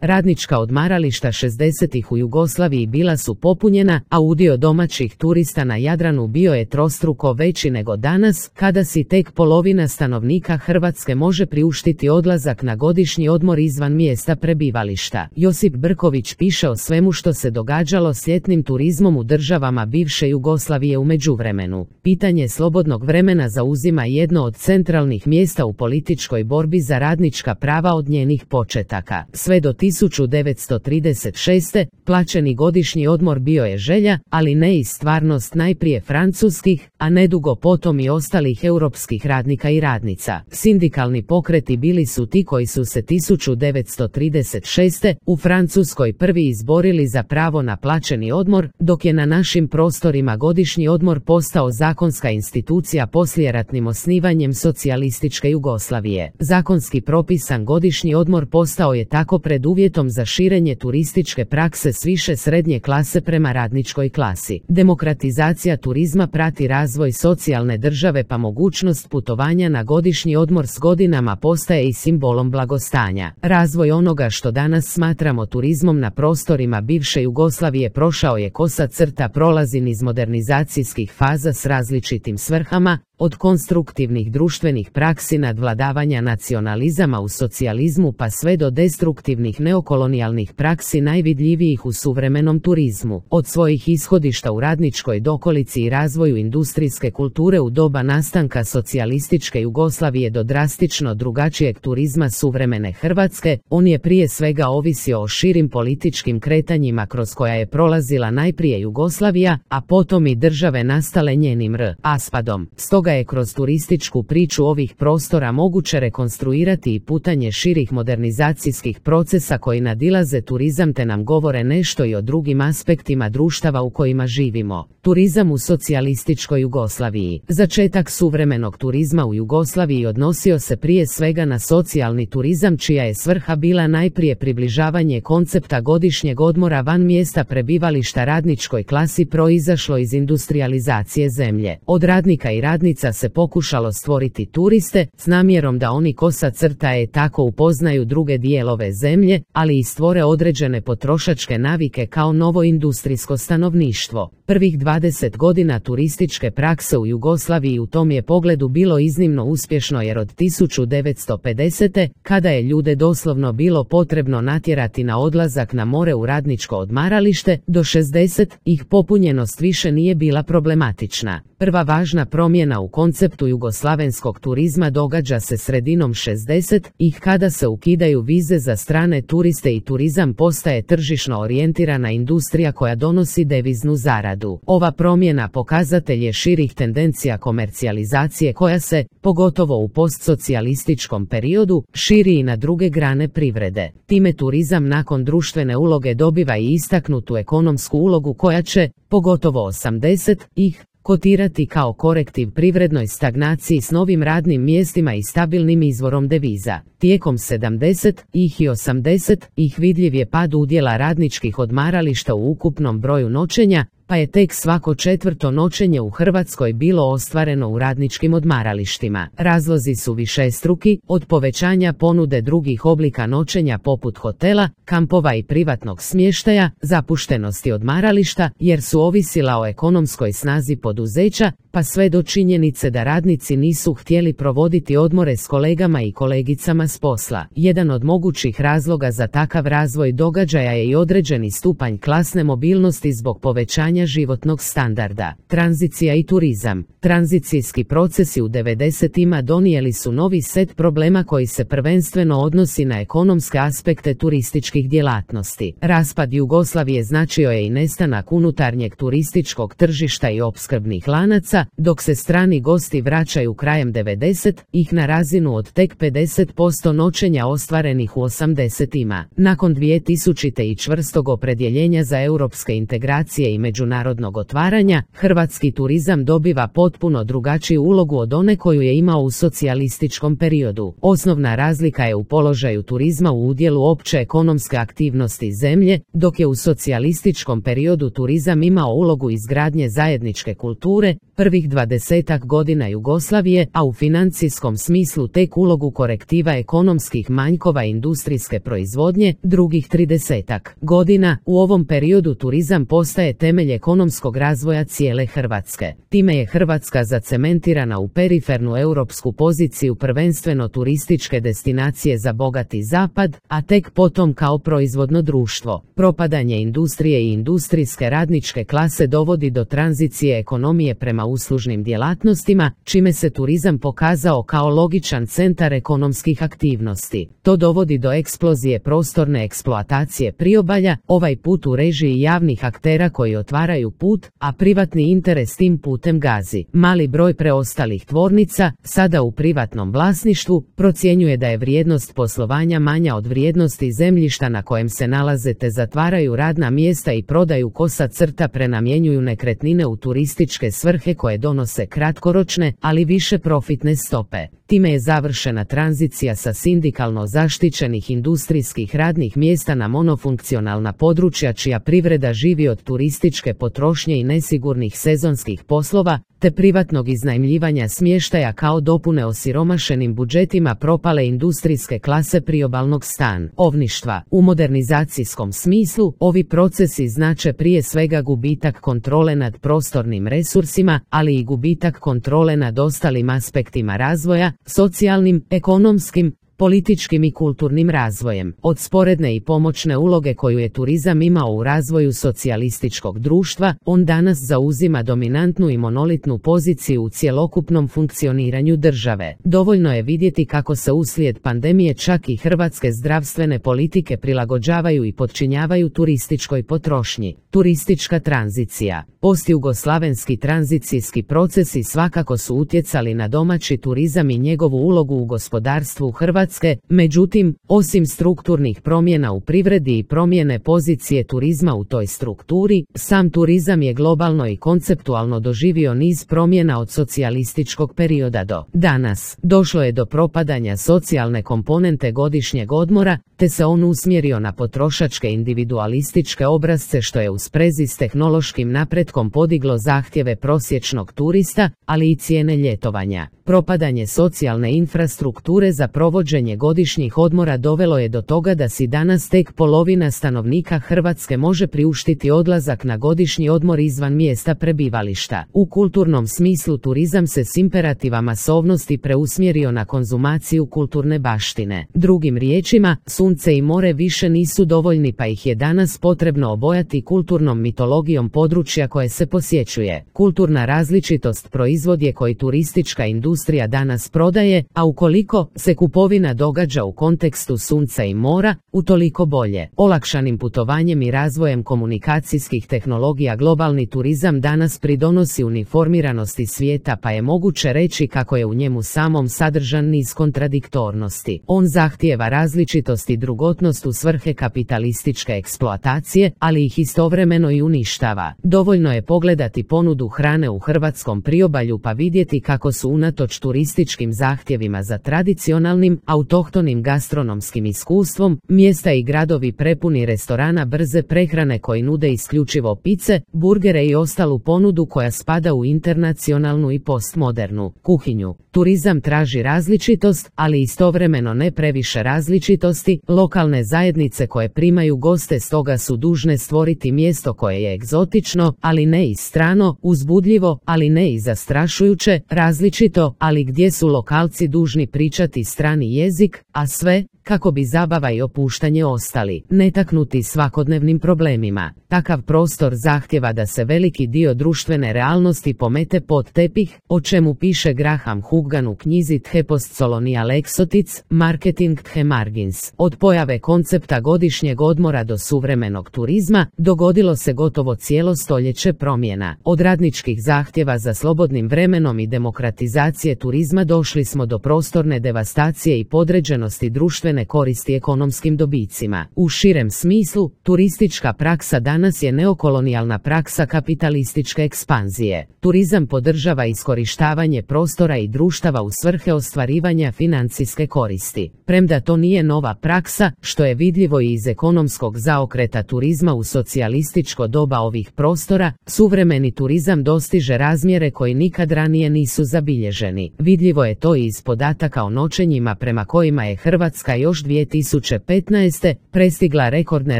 Radnička odmarališta 60-ih u Jugoslaviji bila su popunjena, a udio domaćih turista na Jadranu bio je trostruko veći nego danas, kada si tek polovina stanovnika Hrvatske može priuštiti odlazak na godišnji odmor izvan mjesta prebivališta. Josip Brković piše o svemu što se događalo s ljetnim turizmom u državama bivše Jugoslavije u međuvremenu. Pitanje slobodnog vremena zauzima jedno od centralnih mjesta u političkoj borbi za radnička prava od njenih početaka. Sve do 1936. plaćeni godišnji odmor bio je želja, ali ne i stvarnost najprije francuskih, a nedugo potom i ostalih europskih radnika i radnica. Sindikalni pokreti bili su ti koji su se 1936. u Francuskoj prvi izborili za pravo na plaćeni odmor, dok je na našim prostorima godišnji odmor postao zakonska institucija poslijeratnim osnivanjem socijalističke Jugoslavije. Zakonski propisan godišnji odmor postao je tako preduvjetom za širenje turističke prakse s više srednje klase prema radničkoj klasi. Demokratizacija turizma prati razvoj socijalne države, pa mogućnost putovanja na godišnji odmor s godinama postaje i simbolom blagostanja. Razvoj onoga što danas smatramo turizmom na prostorima bivše Jugoslavije prošao je kosa crta, prolazi niz modernizacijskih faza s različitim svrhama, od konstruktivnih društvenih praksi nadvladavanja nacionalizama u socijalizmu pa sve do destruktivnih neokolonijalnih praksi najvidljivijih u suvremenom turizmu. Od svojih ishodišta u radničkoj dokolici i razvoju industrijske kulture u doba nastanka socijalističke Jugoslavije do drastično drugačijeg turizma suvremene Hrvatske, on je prije svega ovisio o širim političkim kretanjima kroz koja je prolazila najprije Jugoslavija, a potom i države nastale njenim raspadom. Stoga je kroz turističku priču ovih prostora moguće rekonstruirati i putanje širih modernizacijskih procesa koji nadilaze turizam te nam govore nešto i o drugim aspektima društava u kojima živimo. Turizam u socijalističkoj Jugoslaviji. Začetak suvremenog turizma u Jugoslaviji odnosio se prije svega na socijalni turizam, čija je svrha bila najprije približavanje koncepta godišnjeg odmora van mjesta prebivališta radničkoj klasi proizašlo iz industrijalizacije zemlje. Od radnika i radnica se pokušalo stvoriti turiste, s namjerom da oni kosa crta je tako upoznaju druge dijelove zemlje, ali i stvore određene potrošačke navike kao novo industrijsko stanovništvo. Prvih 20 godina turističke prakse u Jugoslaviji u tom je pogledu bilo iznimno uspješno, jer od 1950. kada je ljude doslovno bilo potrebno natjerati na odlazak na more u radničko odmaralište, do 60 ih popunjenost više nije bila problematična. Prva važna promjena u konceptu jugoslavenskog turizma događa se sredinom 60 ih kada se ukidaju vize za strane turiste i turizam postaje tržišno orijentirana industrija koja donosi deviznu zaradu. Ova promjena pokazatelj je širih tendencija komercijalizacije koja se, pogotovo u postsocijalističkom periodu, širi i na druge grane privrede. Time turizam nakon društvene uloge dobiva i istaknutu ekonomsku ulogu koja će, pogotovo 80 ih, kotirati kao korektiv privrednoj stagnaciji s novim radnim mjestima i stabilnim izvorom deviza. Tijekom 70 ih i 80 ih vidljiv je pad udjela radničkih odmarališta u ukupnom broju noćenja, pa je tek svako 4. noćenje u Hrvatskoj bilo ostvareno u radničkim odmaralištima. Razlozi su višestruki, od povećanja ponude drugih oblika noćenja poput hotela, kampova i privatnog smještaja, zapuštenosti odmarališta, jer su ovisila o ekonomskoj snazi poduzeća, pa sve do činjenice da radnici nisu htjeli provoditi odmore s kolegama i kolegicama s posla. Jedan od mogućih razloga za takav razvoj događaja je i određeni stupanj klasne mobilnosti zbog povećanja životnog standarda. Tranzicija i turizam. Tranzicijski procesi u 90-ima donijeli su novi set problema koji se prvenstveno odnosi na ekonomske aspekte turističkih djelatnosti. Raspad Jugoslavije značio je i nestanak unutarnjeg turističkog tržišta i opskrbnih lanaca, dok se strani gosti vraćaju krajem 90-ih na razinu od tek 50% noćenja ostvarenih u 80-ima. Nakon 2000 i čvrstog opredjeljenja za europske integracije i međunarodne međunarodnog otvaranja, hrvatski turizam dobiva potpuno drugačiju ulogu od one koju je imao u socijalističkom periodu. Osnovna razlika je u položaju turizma u udjelu opće ekonomske aktivnosti zemlje, dok je u socijalističkom periodu turizam imao ulogu izgradnje zajedničke kulture, prvih 20-ak godina Jugoslavije, a u financijskom smislu tek ulogu korektiva ekonomskih manjkova industrijske proizvodnje, drugih 30-ak godina. U ovom periodu turizam postaje temelj ekonomskog razvoja cijele Hrvatske. Time je Hrvatska zacementirana u perifernu europsku poziciju prvenstveno turističke destinacije za bogati zapad, a tek potom kao proizvodno društvo. Propadanje industrije i industrijske radničke klase dovodi do tranzicije ekonomije prema uslužnim djelatnostima, čime se turizam pokazao kao logičan centar ekonomskih aktivnosti. To dovodi do eksplozije prostorne eksploatacije priobalja, ovaj put u režiji javnih aktera koji otvaraju put, a privatni interes tim putem gazi. Mali broj preostalih tvornica, sada u privatnom vlasništvu, procjenjuje da je vrijednost poslovanja manja od vrijednosti zemljišta na kojem se nalaze, te zatvaraju radna mjesta i prodaju kosa crta prenamjenjuju nekretnine u turističke svrhe koje donose kratkoročne, ali više profitne stope. Time je završena tranzicija sa sindikalno zaštićenih industrijskih radnih mjesta na monofunkcionalna područja čija privreda živi od turističke potrošnje i nesigurnih sezonskih poslova, te privatnog iznajmljivanja smještaja kao dopune osiromašenim budžetima propale industrijske klase priobalnog stanovništva. U modernizacijskom smislu, ovi procesi znače prije svega gubitak kontrole nad prostornim resursima, ali i gubitak kontrole nad ostalim aspektima razvoja, socijalnim, ekonomskim, političkim i kulturnim razvojem. Od sporedne i pomoćne uloge koju je turizam imao u razvoju socijalističkog društva, on danas zauzima dominantnu i monolitnu poziciju u cjelokupnom funkcioniranju države. Dovoljno je vidjeti kako se uslijed pandemije čak i hrvatske zdravstvene politike prilagođavaju i podčinjavaju turističkoj potrošnji. Turistička tranzicija. Postjugoslavenski tranzicijski procesi svakako su utjecali na domaći turizam i njegovu ulogu u gospodarstvu Hrvatske, međutim, osim strukturnih promjena u privredi i promjene pozicije turizma u toj strukturi, sam turizam je globalno i konceptualno doživio niz promjena od socijalističkog perioda do danas. Došlo je do propadanja socijalne komponente godišnjeg odmora, te se on usmjerio na potrošačke individualističke obrasce što je u sprezi s tehnološkim napretkom podiglo zahtjeve prosječnog turista, ali i cijene ljetovanja. Propadanje socijalne infrastrukture za provođenje godišnjih odmora dovelo je do toga da si danas tek polovina stanovnika Hrvatske može priuštiti odlazak na godišnji odmor izvan mjesta prebivališta. U kulturnom smislu turizam se s imperativa masovnosti preusmjerio na konzumaciju kulturne baštine. Drugim riječima, sunce i more više nisu dovoljni pa ih je danas potrebno obojati kulturnom mitologijom područja koje se posjećuje. Kulturna različitost proizvod je koji turistička industrija danas prodaje, a ukoliko se kupovina događa u kontekstu sunca i mora, utoliko bolje. Olakšanim putovanjem i razvojem komunikacijskih tehnologija globalni turizam danas pridonosi uniformiranosti svijeta pa je moguće reći kako je u njemu samom sadržan niz kontradiktornosti. On zahtijeva različitost i drugotnost u svrhe kapitalističke eksploatacije, ali ih istovremeno i uništava. Dovoljno je pogledati ponudu hrane u hrvatskom priobalju pa vidjeti kako su unatoč turističkim zahtjevima za tradicionalnim, autohtonim gastronomskim iskustvom, mjesta i gradovi prepuni restorana brze prehrane koji nude isključivo pice, burgere i ostalu ponudu koja spada u internacionalnu i postmodernu kuhinju. Turizam traži različitost, ali istovremeno ne previše različitosti. Lokalne zajednice koje primaju goste stoga su dužne stvoriti mjesto koje je egzotično, ali ne i strano, uzbudljivo, ali ne i zastrašujuće, različito, ali gdje su lokalci dužni pričati strani jezik, a sve kako bi zabava i opuštanje ostali netaknuti svakodnevnim problemima. Takav prostor zahtjeva da se veliki dio društvene realnosti pomete pod tepih, o čemu piše Graham Huggan u knjizi The Postcolonial Exotics, Marketing the Margins. Od pojave koncepta godišnjeg odmora do suvremenog turizma, dogodilo se gotovo cijelo stoljeće promjena. Od radničkih zahtjeva za slobodnim vremenom i demokratizacije turizma došli smo do prostorne devastacije i podređenosti društvene društvene koristi ekonomskim dobicima. U širem smislu, turistička praksa danas je neokolonijalna praksa kapitalističke ekspanzije. Turizam podržava iskorištavanje prostora i društava u svrhe ostvarivanja financijske koristi. Premda to nije nova praksa, što je vidljivo i iz ekonomskog zaokreta turizma u socijalističko doba ovih prostora, suvremeni turizam dostiže razmjere koji nikad ranije nisu zabilježeni. Vidljivo je to i iz podataka o noćenjima prema kojima je Hrvatska još 2015. prestigla rekordne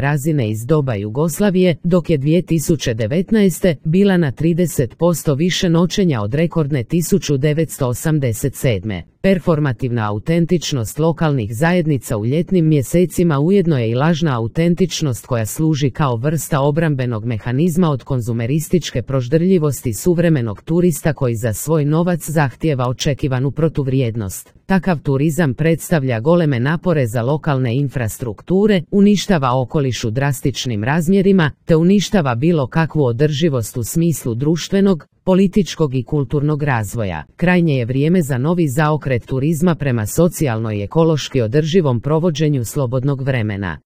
razine iz doba Jugoslavije, dok je 2019. bila na 30% više noćenja od rekordne 1987. Performativna autentičnost lokalnih zajednica u ljetnim mjesecima ujedno je i lažna autentičnost koja služi kao vrsta obrambenog mehanizma od konzumerističke proždrljivosti suvremenog turista koji za svoj novac zahtijeva očekivanu protuvrijednost. Takav turizam predstavlja goleme napore za lokalne infrastrukture, uništava okoliš u drastičnim razmjerima, te uništava bilo kakvu održivost u smislu društvenog, političkog i kulturnog razvoja. Krajnje je vrijeme za novi zaokret turizma prema socijalno i ekološki održivom provođenju slobodnog vremena.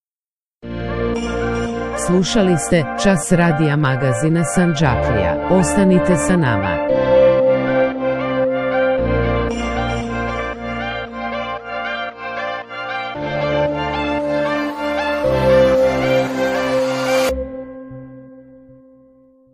Slušali ste Čas radija magazina Sandžaklija. Ostanite sa nama.